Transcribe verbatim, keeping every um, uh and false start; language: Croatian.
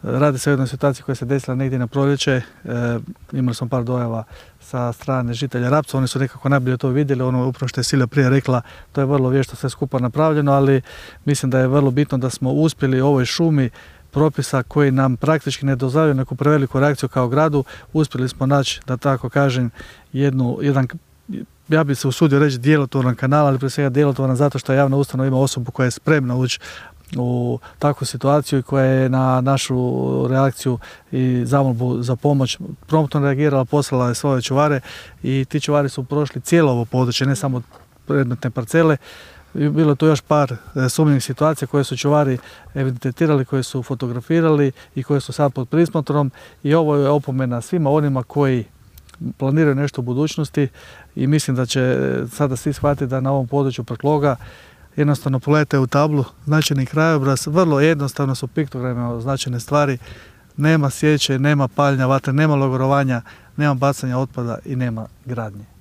Radi se o jednoj situaciji koja se desila negdje na proljeće. E, imali smo par dojava sa strane žitelja Rapca, oni su nekako najbolje to vidjeli, ono upravo što je Silja prije rekla, to je vrlo vješto sve skupa napravljeno, ali mislim da je vrlo bitno da smo uspjeli u ovoj šumi propisa koji nam praktički ne dozvoljavaju neku preveliku reakciju kao gradu, uspjeli smo naći, da tako kažem, jednu, jedan, ja bih se usudio reći djelotvoran kanal, ali prije svega djelotvoran zato što javna ustanova ima osobu koja je spremna ući u takvu situaciju i koja je na našu reakciju i zamolbu za pomoć promptno reagirala, poslala je svoje čuvare i ti čuvari su prošli cijelo ovo područje, ne samo predmetne parcele. Bilo je tu još par sumnjivih situacija koje su čuvari evidentirali, koje su fotografirali i koje su sad pod prismotrom i ovo je opomena svima onima koji planiraju nešto u budućnosti i mislim da će sada svi shvatiti da na ovom području Prkloga jednostavno pogledajte u tablu značajni krajobraz, vrlo jednostavno su piktograme značajne stvari, nema sječe, nema paljenja vatre, nema logorovanja, nema bacanja otpada i nema gradnje.